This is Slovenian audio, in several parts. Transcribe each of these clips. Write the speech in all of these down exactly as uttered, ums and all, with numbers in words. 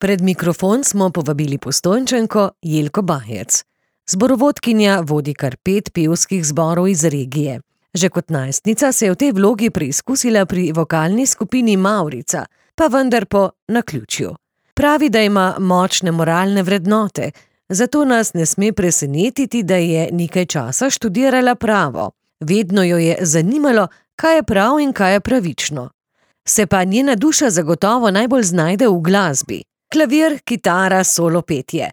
Pred mikrofon smo povabili Postojnčanko Jelko Bajec. Zborovodkinja vodi kar pet pevskih zborov iz regije. Že kot najstnica se je v tej vlogi preizkusila pri vokalni skupini Mavrica, pa vendar po naključju. Pravi, da ima močne moralne vrednote, zato nas ne sme presenetiti, da je nekaj časa študirala pravo. Vedno jo je zanimalo, kaj je prav in kaj je pravično. Se pa njena duša zagotovo najbolj znajde v glasbi. Klavir, kitara, solo petje.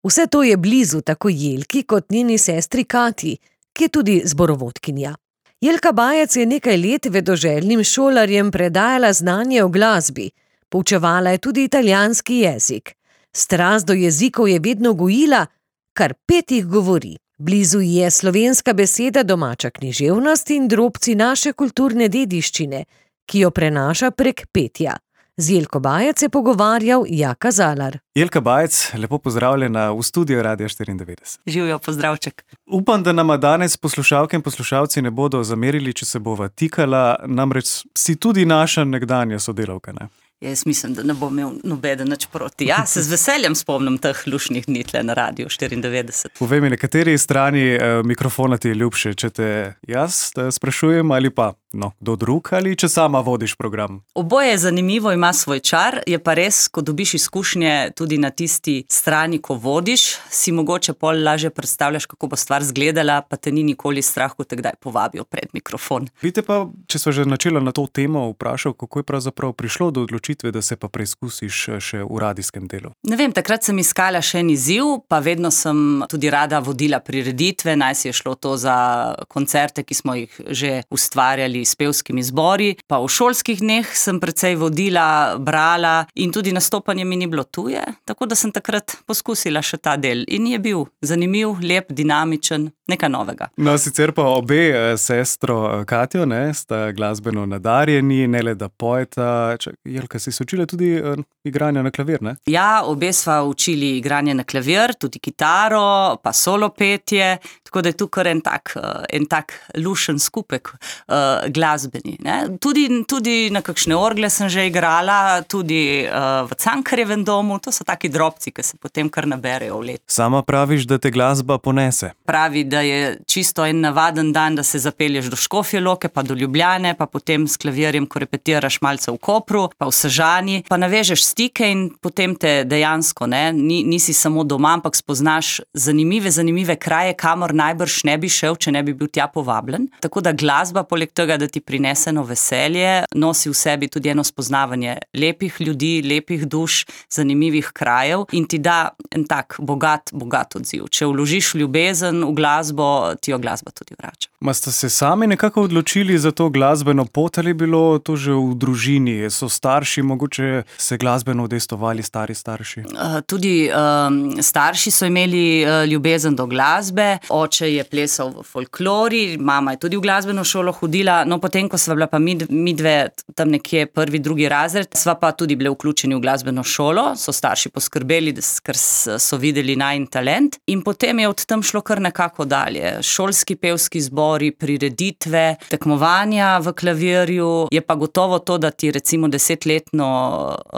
Vse to je blizu tako Jelki kot njeni sestri Katji, ki je tudi zborovodkinja. Jelka Bajec je nekaj let vedoželjnim šolarjem predajala znanje o glasbi. Poučevala je tudi italijanski jezik. Strast do jezikov je vedno gojila, kar pet jih govori. Blizu ji je slovenska beseda, domača književnost in drobci naše kulturne dediščine, ki jo prenaša prek petja. Z Jelko Bajec je pogovarjal Jaka Zalar. Jelka Bajec, lepo pozdravljena v studiu Radia štiriindevetdeset. Živijo, pozdravček. Upam, da nama danes poslušalke in poslušalci ne bodo zamerili, če se bova tikala, namreč si tudi naša nekdanja sodelavka, ne? Jaz mislim, da ne bom imel nobeden nič proti. Ja, se z veseljem spomnim teh lušnih dni tle na Radiu štiriindevetdeset. Povej mi, na kateri strani eh, mikrofona ti je ljubše, če te jaz te sprašujem ali pa no, kdo drug, ali če sama vodiš program? Oboje je zanimivo, ima svoj čar, je pa res, ko dobiš izkušnje tudi na tisti strani, ko vodiš, si mogoče pol lažje predstavljaš, kako bo stvar zgledala, pa te ni nikoli strah, ko te kdaj povabijo pred mikrofon. Vidite pa, če sva že načela na to temo, vprašal, kako je pravzaprav prišlo do odločitve, da se pa preizkusiš še v radijskem delu? Ne vem, takrat sem iskala še en izziv, pa vedno sem tudi rada vodila prireditve, naj si je šlo to za koncerte, ki smo jih že ustvarjali s pevskimi zbori, pa v šolskih dneh sem precej vodila, brala in tudi nastopanje mi ni bilo tuje, tako da sem takrat poskusila še ta del in je bil zanimiv, lep, dinamičen, nekaj novega. No, sicer pa obe sestro Katjo, ne, sta glasbeno nadarjeni, ne le da pojeta. Čak, Jelka, si se učila tudi uh, igranja na klavir, ne? Ja, obe sva učili igranje na klavir, tudi kitaro, pa solo petje, tako da je tu kar en tak, uh, en tak lušen skupek uh, glasbeni. Ne? Tudi, tudi na kakšne orgle sem že igrala, tudi uh, v Cankarjevem domu, to so taki drobci, ki se potem kar naberejo v let. Sama praviš, da te glasba ponese? Pravi, da je čisto en navaden dan, da se zapelješ do Škofje Loke, pa do Ljubljane, pa potem s klavirjem, ko repetiraš malce v Kopru, pa v Sežani, pa navežeš stike in potem te dejansko, ne, Ni, nisi samo doma, ampak spoznaš zanimive, zanimive kraje, kamor najbrž ne bi šel, če ne bi bil tja povabljen. Tako da glasba, poleg tega, da ti prinese eno veselje, nosi v sebi tudi eno spoznavanje lepih ljudi, lepih duš, zanimivih krajev in ti da en tak bogat, bogat odziv. Če vložiš ljubezen v glasbo, ti jo glasba tudi vrača. Ma ste se sami nekako odločili za to glasbeno pot ali bilo to že v družini? So starši mogoče se glasbeno udejstvovali, stari starši? Uh, tudi um, starši so imeli uh, ljubezen do glasbe, oče je plesal v folklori, mama je tudi v glasbeno šolo hodila, no potem, ko sva bila pa mi, mi dve tam nekje prvi, drugi razred, sva pa tudi bile vključeni v glasbeno šolo, so starši poskrbeli, ker so videli najin talent in potem je od tam šlo kar nekako dalje. Šolski pevski zbori, prireditve, tekmovanja v klavirju, je pa gotovo to, da ti recimo desetletno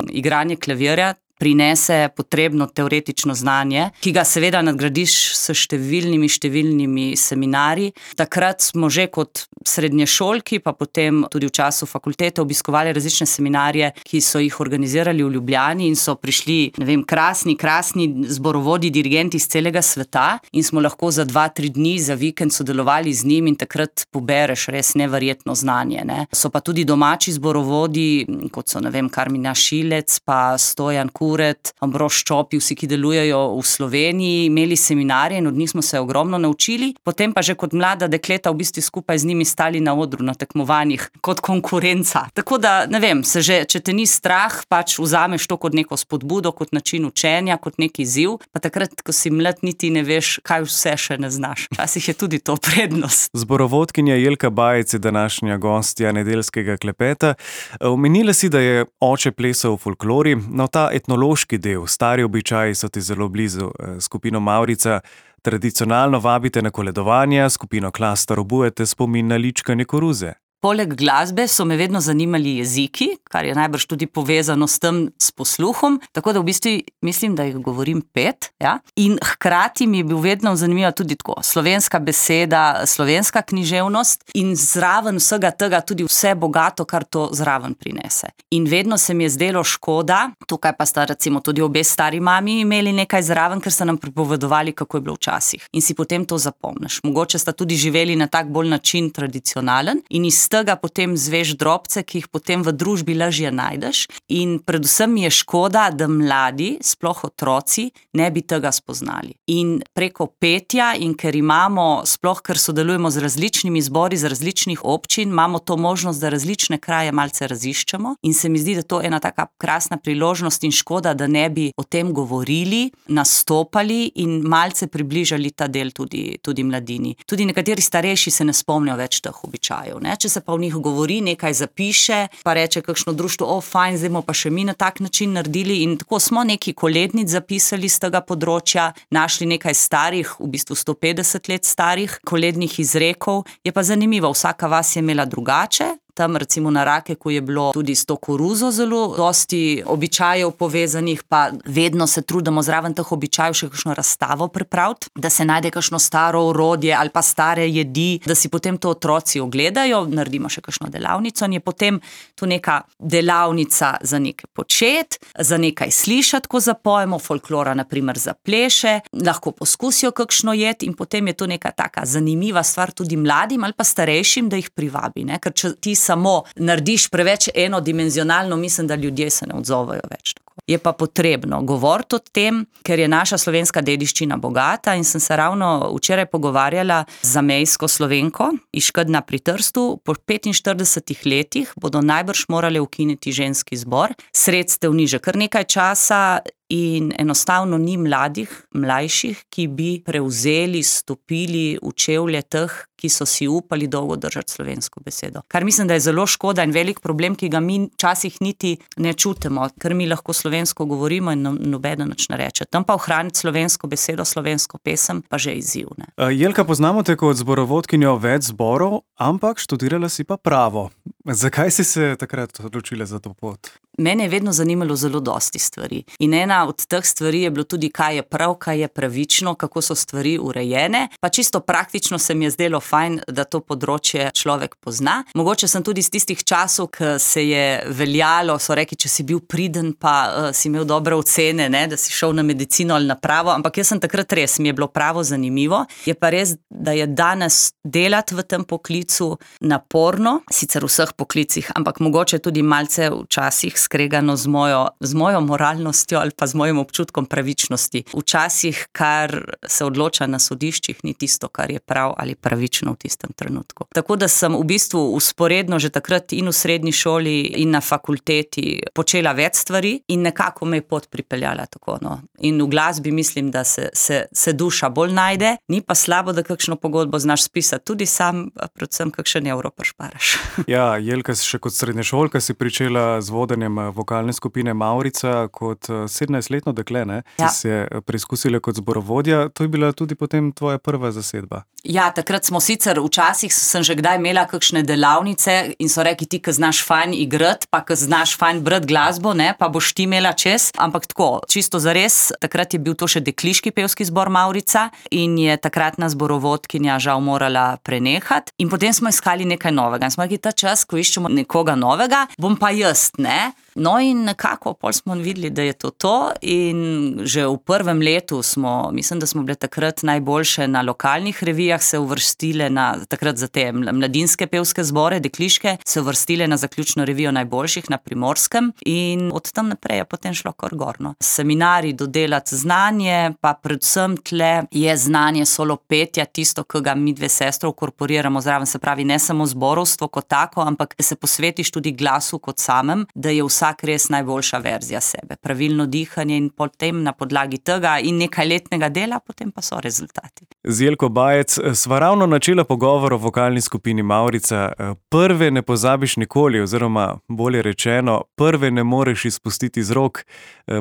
igranje klavirja prinese potrebno teoretično znanje, ki ga seveda nadgradiš s številnimi, številnimi seminarji. Takrat smo že kot srednješolki, pa potem tudi v času fakultete obiskovali različne seminarje, ki so jih organizirali v Ljubljani in so prišli, ne vem, krasni, krasni zborovodi, dirigenti iz celega sveta in smo lahko za dva, tri dni za vikend sodelovali z njim in takrat pobereš res neverjetno znanje, ne. So pa tudi domači zborovodi, kot so, ne vem, Karmina Šilec, pa Stojan Kuret, Ambrož Čopi, vsi, ki delujejo v Sloveniji, imeli seminarje in od njih smo se ogromno naučili. Potem pa že kot mlada dekleta v bistvu skupaj z njimi stali na odru na tekmovanjih kot konkurenca. Tako da, ne vem, se že, če te ni strah, pač vzameš to kot neko spodbudo, kot način učenja, kot neki izziv, pa takrat, ko si mlad, niti ne veš, kaj vse še ne znaš. Včasih je tudi to prednost. Zborovodkinja Jelka Bajec je današnja gostja nedeljskega klepeta. Omenila si, da je oče plesal v folklori, no ta etnološki del, stari običaji so ti zelo blizu. Skupino Mavrica tradicionalno vabite na koledovanja, skupino Klastor obujete spomin na ličkanje koruze. poleg glasbe so me vedno zanimali jeziki, kar je najbrž tudi povezano s tem s posluhom, tako da v bistvu mislim, da jih govorim pet. Ja? In hkrati mi je bil vedno zanimiva tudi tako slovenska beseda, slovenska književnost in zraven vsega tega tudi vse bogato, kar to zraven prinese. In vedno se mi je zdelo škoda, tukaj pa sta recimo tudi obe stari mami imeli nekaj zraven, ker so nam pripovedovali, kako je bilo včasih. In si potem to zapomniš. Mogoče sta tudi živeli na tak bolj način tradicionalen in iz tega potem zveš drobce, ki jih potem v družbi lažje najdeš. In predvsem mi je škoda, da mladi, sploh otroci, ne bi tega spoznali. In preko petja in ker imamo, sploh ker sodelujemo z različnimi zbori, z različnih občin, imamo to možnost, da različne kraje malce raziščemo in se mi zdi, da to je ena taka krasna priložnost in škoda, da ne bi o tem govorili, nastopali in malce približali ta del tudi, tudi mladini. Tudi nekateri starejši se ne spomnijo več teh običajev. Ne? Če se pa v njih govori, nekaj zapiše, pa reče kakšno društvo, o fajn, zdaj bomo pa še mi na tak način naredili in tako smo neki kolednic zapisali z tega področja, našli nekaj starih, v bistvu sto petdeset let starih kolednih izrekov. Je pa zanimivo, vsaka vas je imela drugače. Tam recimo na Rakeku je bilo tudi s to koruzo zelo dosti običajev povezanih, pa vedno se trudimo zraven teh običajev še kakšno razstavo pripraviti, da se najde kakšno staro orodje ali pa stare jedi, da si potem to otroci ogledajo, naredimo še kakšno delavnico in je potem to neka delavnica za nekaj počet, za nekaj slišati, ko zapojemo, folklora naprimer za pleše, lahko poskusijo kakšno jed in potem je to neka taka zanimiva stvar tudi mladim ali pa starejšim, da jih privabi, ne? Ker če ti samo narediš preveč enodimenzionalno, mislim, da ljudje se ne odzovejo več tako. Je pa potrebno govoriti o tem, ker je naša slovenska dediščina bogata in sem se ravno včeraj pogovarjala z zamejsko Slovenko iz Škedna pri Trstu. Po petinštiridesetih letih bodo najbrž morali ukiniti ženski zbor. Sredstev ni že kar nekaj časa in enostavno ni mladih, mlajših, ki bi prevzeli, stopili v čevlje teh, ki so si upali dolgo držati slovensko besedo. Kar mislim, da je zelo škoda in velik problem, ki ga mi včasih niti ne čutimo, ker mi lahko slovensko govorimo in nobeden nič ne reče. Tam pa ohraniti slovensko besedo, slovensko pesem, pa že izziv. Ne? Jelka, poznamo te kot zborovodkinjo več zborov, ampak študirala si pa pravo. Zakaj si se takrat odločila za to pot? Mene je vedno zanimalo zelo dosti stvari. In ena od teh stvari je bilo tudi, kaj je prav, kaj je pravično, kako so stvari urejene. Pa čisto praktično se mi je zdelo fajn, da to področje človek pozna. Mogoče sem tudi z tistih časov, ki se je veljalo, so rekli, če si bil priden, pa uh, si imel dobre ocene, ne, da si šel na medicino ali na pravo, ampak jaz sem takrat res, mi je bilo pravo zanimivo. Je pa res, da je danes delati v tem poklicu naporno, sicer v vseh poklicih, ampak mogoče tudi malce včasih skregano z mojo, z mojo moralnostjo ali pa z mojim občutkom pravičnosti. Včasih, kar se odloča na sodiščih, ni tisto, kar je prav ali pravično v tistem trenutku. Tako da sem v bistvu usporedno že takrat in v srednji šoli in na fakulteti počela več stvari in nekako me je pot pripeljala tako. No. In v glasbi mislim, da se, se, se duša bolj najde, ni pa slabo, da kakšno pogodbo znaš spisati tudi sam, predvsem kakšen evro prišparaš. Ja, Jelka, še kot srednješolka si pričela z vodenjem vokalne skupine Mavrica kot sedemnajstletno dekle, ne? Ja. Si se preizkusila kot zborovodja, to je bila tudi potem tvoja prva zasedba. Ja, takrat smo sicer, včasih sem že kdaj imela kakšne delavnice in so rekli, ti, ki znaš fajn igrati, pa ki znaš fajn brati glasbo, ne, pa boš ti imela čez, ampak tako, čisto zares, takrat je bil to še dekliški pevski zbor Mavrica in je takratna zborovodkinja žal morala prenehati in potem smo iskali nekaj novega in smo rekli, ta čas, ko iščemo nekoga novega, bom pa jaz, ne. No in nekako pol smo videli, da je to to in že v prvem letu smo, mislim, da smo bile takrat najboljše na lokalnih revijah, se uvrstile na, takrat za te mladinske pevske zbore, dekliške, se uvrstile na zaključno revijo najboljših na Primorskem in od tam naprej je potem šlo kar gorno. Seminari, dodelati znanje, pa predvsem tle je znanje solo petja, tisto, ki ga mi dve sestro korporiramo zraven, se pravi ne samo zborovstvo kot tako, ampak se posvetiš tudi glasu kot samem, da je vsak vsak res najboljša verzija sebe. Pravilno dihanje in potem na podlagi tega in nekaj letnega dela, potem pa so rezultati. Z Jelko Bajec sva ravno načela pogovor o vokalni skupini Mavrica. Prve ne pozabiš nikoli, oziroma bolje rečeno, prve ne moreš izpustiti z rok.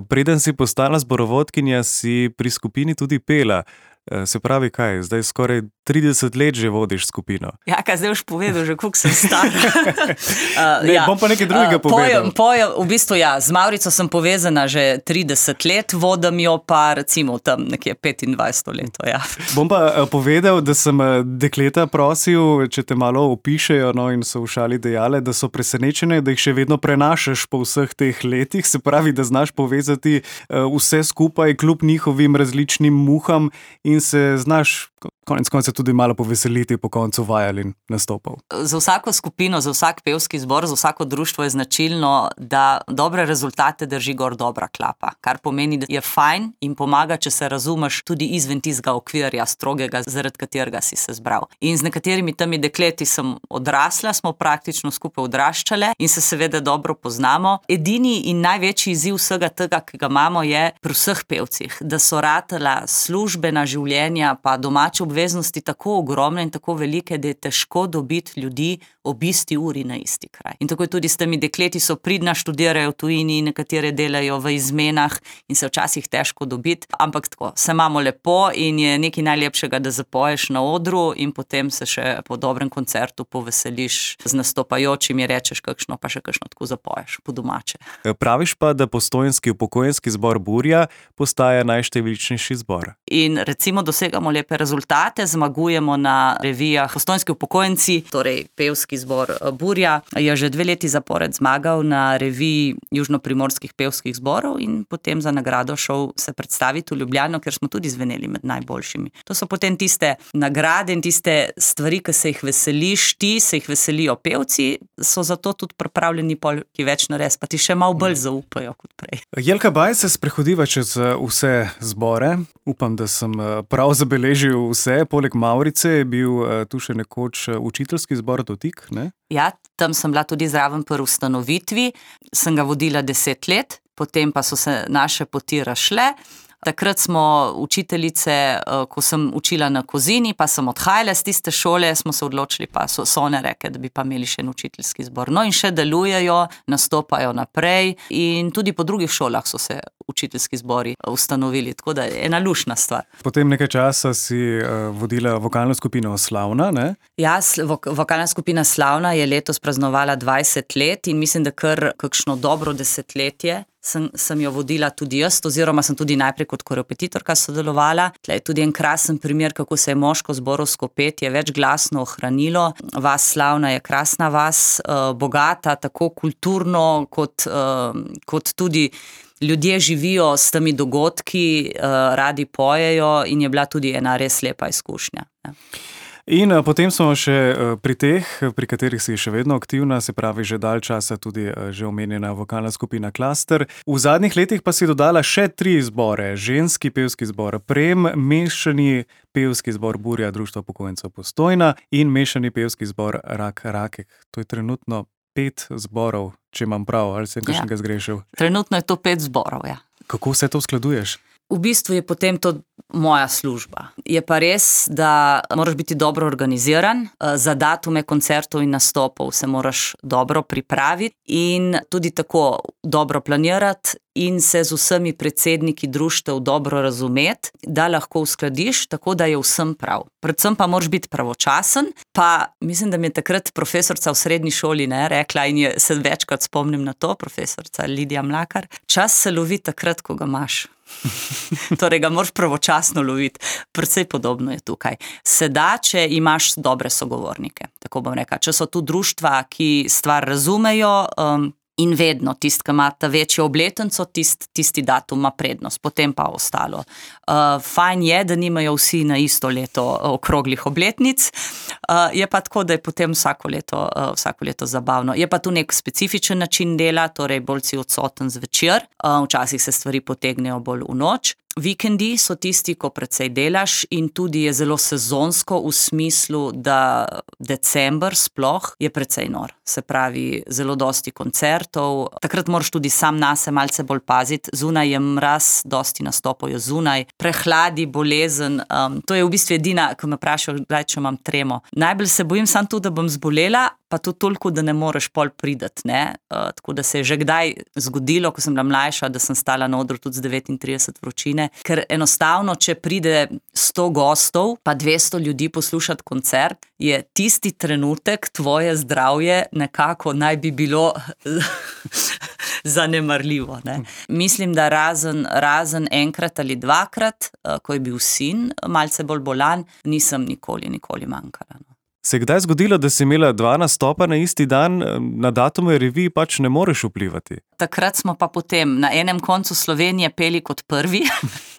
Preden si postala zborovodkinja, si pri skupini tudi pela. Se pravi kaj, zdaj skoraj trideset let že vodiš skupino. Ja, kaj zdaj boš povedal, že koliko sem star. uh, ne, ja. Bom pa nekaj drugega uh, povedal. Pojem, pojem, v bistvu ja, z Maurico sem povezana že trideset let, vodim jo pa recimo tam nekje petindvajset let. Ja. Bom pa uh, povedal, da sem uh, dekleta prosil, če te malo opišejo, no, in so v šali dejale, da so presenečene, da jih še vedno prenašaš po vseh teh letih, se pravi, da znaš povezati uh, vse skupaj kljub njihovim različnim muham in se znaš konec konca tudi malo poveseliti po koncu vajal in nastopov. Za vsako skupino, za vsak pevski zbor, za vsako društvo je značilno, da dobre rezultate drži gor dobra klapa, kar pomeni, da je fajn in pomaga, če se razumeš tudi izven tistega okvirja strogega, zaradi katerega si se zbral. In z nekaterimi temi dekleti sem odrasla, smo praktično skupaj odraščale in se seveda dobro poznamo. Edini in največji izziv vsega tega, ki ga imamo, je pri vseh pevcih, da so ratala službena življenja pa domače obveznosti tako ogromne in tako velike, da je težko dobiti ljudi ob isti uri na isti kraj. In tako je tudi s temi dekleti, so pridna, študirajo v tujini, nekatere delajo v izmenah in se včasih težko dobiti, ampak tako, se imamo lepo in je nekaj najlepšega, da zapoješ na odru in potem se še po dobrem koncertu poveseliš z nastopajočimi, rečeš kakšno, pa še kakšno tako zapoješ po domače. Praviš pa, da Postojnski upokojenski zbor Burja postaja najštevilčnejši zbor. In recimo dosegamo lepe rezultate, zmagujemo na revijah. Postojnski upokojenci, torej pevski zbor Burja, je že dve leti zapored zmagal na reviji južnoprimorskih pevskih zborov in potem za nagrado šel se predstaviti v Ljubljano, ker smo tudi zveneli med najboljšimi. To so potem tiste nagrade in tiste stvari, ki se jih veseliš ti, se jih veselijo pevci, so zato tudi pripravljeni pol, ki več nares, pa ti še malo bolj zaupajo kot prej. Jelka Baj se sprehodiva čez vse zbore. Upam, da sem prav zabeležil vse. Poleg Maurice je bil tu še nekoč učiteljski zbor Dotik, ne? Ja, tam sem bila tudi zraven pri ustanovitvi. Sem ga vodila deset let, potem pa so se naše poti razšle. Takrat smo učiteljice, ko sem učila na Kozini, pa sem odhajala z tiste šole, smo se odločili, pa so, so one reke, da bi pa imeli še en učiteljski zbor. No in še delujejo, nastopajo naprej in tudi po drugih šolah so se učiteljski zbori ustanovili, tako da je ena lušna stvar. Potem nekaj časa si uh, vodila vokalno skupino Slavna, ne? Ja, vok- vokalna skupina Slavna je letos praznovala dvajset let in mislim, da kar kakšno dobro desetletje Sem, sem jo vodila tudi jaz, oziroma sem tudi najprej kot korepetitorka sodelovala. Tle je tudi en krasen primer, kako se je moško zborovsko petje večglasno ohranilo. Vas Slavna je krasna vas, eh, bogata, tako kulturno, kot, eh, kot tudi ljudje živijo s temi dogodki, eh, radi pojejo in je bila tudi ena res lepa izkušnja. Ja. In uh, potem smo še uh, pri teh, pri katerih si še vedno aktivna, se pravi že dalj časa tudi uh, že omenjena vokalna skupina Klaster. V zadnjih letih pa si dodala še tri zbore. Ženski pevski zbor Prem, mešani pevski zbor Burja, Društvo upokojencev Postojna in mešani pevski zbor Rak Rakek. To je trenutno pet zborov, če imam prav, ali sem kakšnega ja. zgrešil? Trenutno je to pet zborov, ja. Kako vse to uskladuješ? V bistvu je potem to moja služba. Je pa res, da moraš biti dobro organiziran, za datume koncertov in nastopov se moraš dobro pripraviti in tudi tako dobro planirati in se z vsemi predsedniki društev dobro razumeti, da lahko uskladiš tako, da je vsem prav. Predvsem pa moraš biti pravočasen, pa mislim, da mi je takrat profesorca v srednji šoli ne, rekla in je, se večkrat spomnim na to, profesorca Lidija Mlakar, čas se lovi takrat, ko ga imaš. Torej ga moraš pravočasno loviti. Precej podobno je tukaj. Seda, če imaš dobre sogovornike, tako bom rekla. Če so tu društva, ki stvar razumejo, um, in vedno tist, ki ima ta večjo obletnico, tist, tisti datum ima prednost, potem pa ostalo. Uh, fajn je, da nimajo vsi na isto leto okroglih obletnic, uh, je pa tako, da je potem vsako leto, uh, vsako leto zabavno. Je pa tu nek specifičen način dela, torej bolj si odsoten zvečer, uh, včasih se stvari potegnejo bolj v noč. Vikendi so tisti, ko precej delaš in tudi je zelo sezonsko v smislu, da december sploh je precej nor. Se pravi, zelo dosti koncertov. Takrat moraš tudi sam nase malce bolj paziti. Zunaj je mraz, dosti nastopov je zunaj. Prehladi, bolezen. Um, to je v bistvu edina, ko me vprašajo, če imam tremo. Najbolj se bojim sam tu, da bom zbolela, pa tudi toliko, da ne moreš pol prideti, ne. Uh, tako da se je že kdaj zgodilo, ko sem bila mlajša, da sem stala na odru tudi z devetintrideset vročine, ker enostavno, če pride sto gostov, pa dvesto ljudi poslušati koncert, je tisti trenutek tvoje zdravje nekako naj bi bilo zanemarljivo, ne. Mislim, da razen, razen enkrat ali dvakrat, uh, ko je bil sin malce bolj bolan, nisem nikoli, nikoli manjkala, no. Se je kdaj zgodilo, da si imela dva nastopa na isti dan, na datume revij pač ne moreš vplivati? Takrat smo pa potem na enem koncu Slovenije peli kot prvi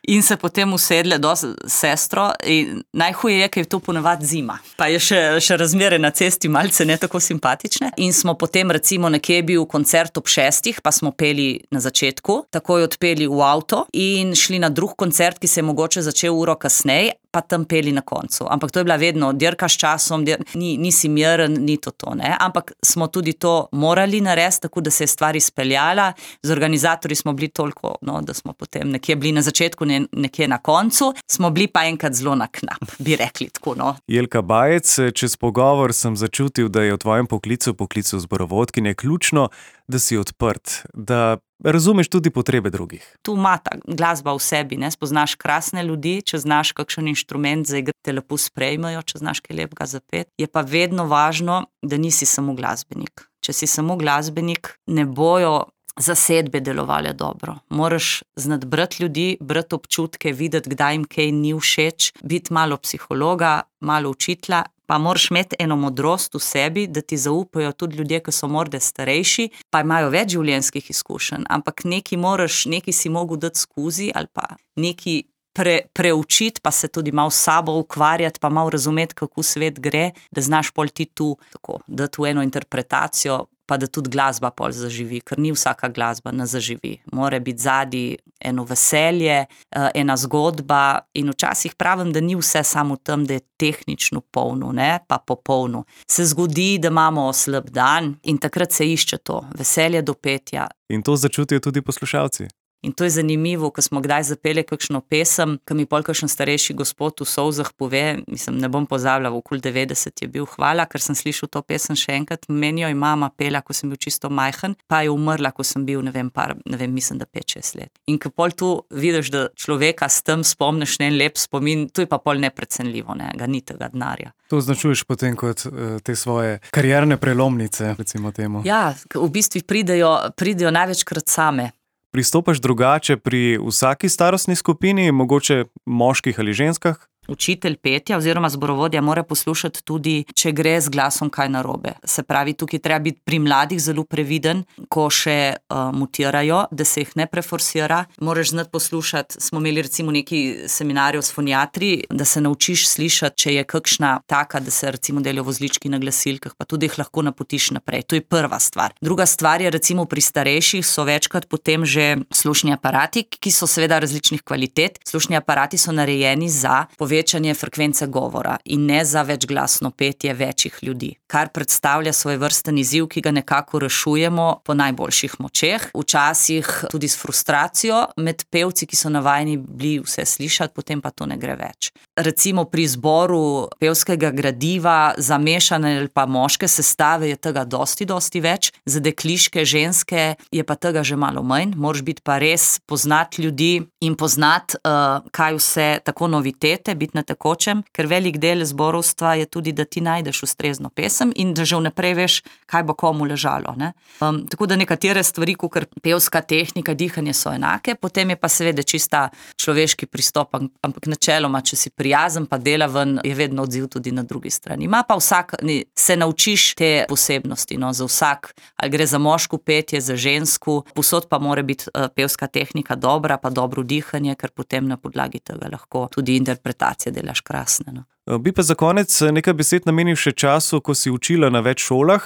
in se potem usedle do sestro in najhuje je, ker je to ponavadi zima. Pa je še, še razmere na cesti malce ne tako simpatične in smo potem recimo nekje bil koncert ob šestih, pa smo peli na začetku, takoj odpeli v avto in šli na drug koncert, ki se je mogoče začel uro kasneje, pa tam peli na koncu. Ampak to je bila vedno dirka s časom, dir... ni, nisi miren, ni to to, ne. Ampak smo tudi to morali narediti, tako da se je stvar izpeljala. Z organizatorji smo bili toliko, no, da smo potem nekje bili na začetku, ne, nekje na koncu, smo bili pa enkrat zelo na knap, bi rekli tako, no. Jelka Bajec, čez pogovor sem začutil, da je v tvojem poklicu, poklicu zborovodkinje, ključno, da si odprt, da razumeš tudi potrebe drugih. Tu ima ta glasba v sebi, ne, spoznaš krasne ljudi, če znaš kakšen inštrument zaigrati, te lepo sprejmejo, če znaš kaj lepega zapeti. Je pa vedno važno, da nisi samo glasbenik. Če si samo glasbenik, ne bojo zasedbe delovale dobro. Moraš znati brati ljudi, brati občutke, videti, kdaj jim kaj ni všeč, biti malo psihologa, malo učitelja, pa moraš imeti eno modrost v sebi, da ti zaupajo tudi ljudje, ki so morda starejši, pa imajo več življenjskih izkušenj, ampak neki moraš, neki si mogel dati skozi ali pa neki pre, preučiti, pa se tudi malo s sabo ukvarjati, pa malo razumeti, kako svet gre, da znaš pol ti tu tako, dati v eno interpretacijo, pa da tudi glasba pol zaživi, ker ni vsaka glasba ne zaživi. Mora biti zadaj eno veselje, ena zgodba in včasih pravim, da ni vse samo v tem, da je tehnično polno, ne, pa popolno. Se zgodi, da imamo slab dan in takrat se išče to, veselje do petja. In to začutijo tudi poslušalci. In to je zanimivo, ko smo kdaj zapeli kakšno pesem, ko mi pol kakšen starejši gospod v solzah pove, mislim, ne bom pozabila, okoli devetdeset je bil, hvala, ker sem slišal to pesem še enkrat, meni jo je mama pela, ko sem bil čisto majhen, pa je umrla, ko sem bil, ne vem, par, ne vem, mislim, da pet šest let. In ko pol tu vidiš, da človeka s tem spomniš en lep spomin, to je pa pol neprecenljivo, ne, ga ni tega denarja. To označuješ potem kot uh, te svoje karierne prelomnice, recimo temu. Ja, v bistvu pridejo, pridejo največkrat same. Pristopaš drugače pri vsaki starostni skupini, mogoče moških ali ženskah? Učitelj petja oziroma zborovodja mora poslušati tudi, če gre z glasom kaj narobe. Se pravi, tukaj treba biti pri mladih zelo previden, ko še uh, mutirajo, da se jih ne preforsira. Moraš znati poslušati, smo imeli recimo neki seminarjev s foniatri, da se naučiš slišati, če je kakšna taka, da se recimo delijo vozlički na glasilkah, pa tudi jih lahko napotiš naprej. To je prva stvar. Druga stvar je recimo pri starejših so večkrat potem že slušni aparati, ki so seveda različnih kvalitet. Slušni aparati so narejeni za povečanje frekvence govora in ne za večglasno petje večjih ljudi, kar predstavlja svoj vrsten izziv, ki ga nekako rešujemo po najboljših močeh, včasih tudi s frustracijo med pevci, ki so navajeni bili vse slišati, potem pa to ne gre več. Recimo pri zboru pevskega gradiva za mešane ali pa moške sestave je tega dosti, dosti več, za dekliške, ženske je pa tega že malo manj, moraš biti pa res poznati ljudi in poznati, uh, kaj vse tako novitete, biti na tekočem, ker velik del zborovstva je tudi, da ti najdeš ustrezno pesem in da že vnaprej veš, kaj bo komu ležalo, ne. Um, tako da nekatere stvari, kakor pevska tehnika, dihanje so enake, potem je pa seveda čista človeški pristop, ampak načeloma, če si prijazen pa delaven, je vedno odziv tudi na drugi strani. Ima pa vsak, se naučiš te posebnosti, no, za vsak, ali gre za moško petje, za žensko, posod pa mora biti uh, pevska tehnika dobra, pa dobro dihanje, ker potem na podlagi tega lahko tudi interpretacije delaš krasne, no. Bi pa za konec nekaj besed namenil še času, ko si učila na več šolah,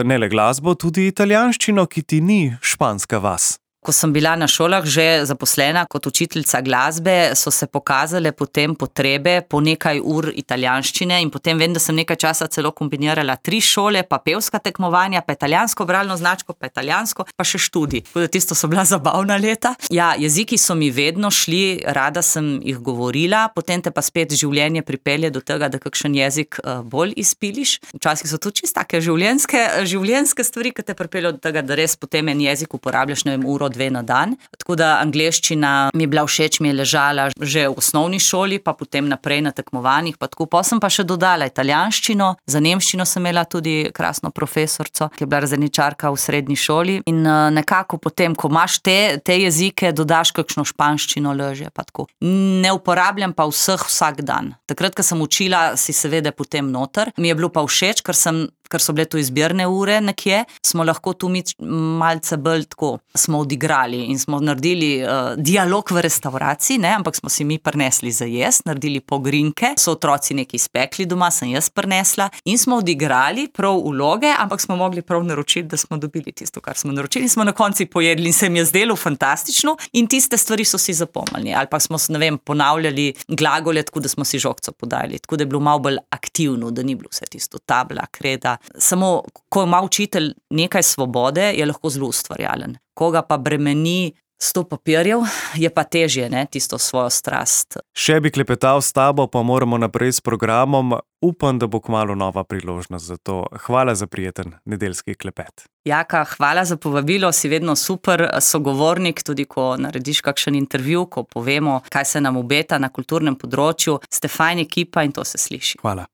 ne le glasbo, tudi italijanščino, ki ti ni španska vas. Ko sem bila na šolah že zaposlena kot učiteljica glasbe, so se pokazale potem potrebe po nekaj ur italijanščine in potem vem, da sem nekaj časa celo kombinirala tri šole, pa pevska tekmovanja, pa italijansko bralno značko, pa italijansko, pa še študij. Tako da tisto so bila zabavna leta. Ja, jeziki so mi vedno šli, rada sem jih govorila, potem te pa spet življenje pripelje do tega, da kakšen jezik bolj izpiliš. Včasih so to čisto take življenjske, življenjske stvari, ki te pripeljejo do tega, da res potem en jezik uporabljaš, ne vem, uro, dve na dan. Tako da angleščina mi je bila všeč, mi je ležala že v osnovni šoli, pa potem naprej na tekmovanjih, pa tako. Pa sem pa še dodala italijanščino, za nemščino sem imela tudi krasno profesorco, ki je bila razredničarka v srednji šoli in nekako potem, ko imaš te, te jezike, dodaš kakšno španščino, leže, pa tako. Ne uporabljam pa vseh vsak dan. Takrat, ko sem učila, si seveda potem noter. Mi je bilo pa všeč, ker sem ker so bile tu izbirne ure nekje, smo lahko tu mi malce bolj tako, smo odigrali in smo naredili uh, dialog v restavraciji, ne, ampak smo si mi prinesli za jesti, naredili pogrinke, so otroci nekaj spekli doma, sem jaz prinesla in smo odigrali prav vloge, ampak smo mogli prav naročiti, da smo dobili tisto, kar smo naročili in smo na konci pojedli in se mi je zdelo fantastično in tiste stvari so si zapomnili. Ali pa smo, ne vem, ponavljali glagole, tako da smo si žogco podajali, tako da je bilo malo bolj aktivno, da ni bilo vse tisto tabla, kreda. Samo, ko ima učitelj nekaj svobode, je lahko zelo ustvarjalen. Koga pa bremeni sto papirjev, je pa težje, ne, tisto svojo strast. Še bi klepetal s tabo, pa moramo naprej s programom. Upam, da bo kmalu nova priložnost za to. Hvala za prijeten nedeljski klepet. Jaka, hvala za povabilo, si vedno super sogovornik, tudi ko narediš kakšen intervju, ko povemo, kaj se nam obeta na kulturnem področju. Ste fajn ekipa in to se sliši. Hvala.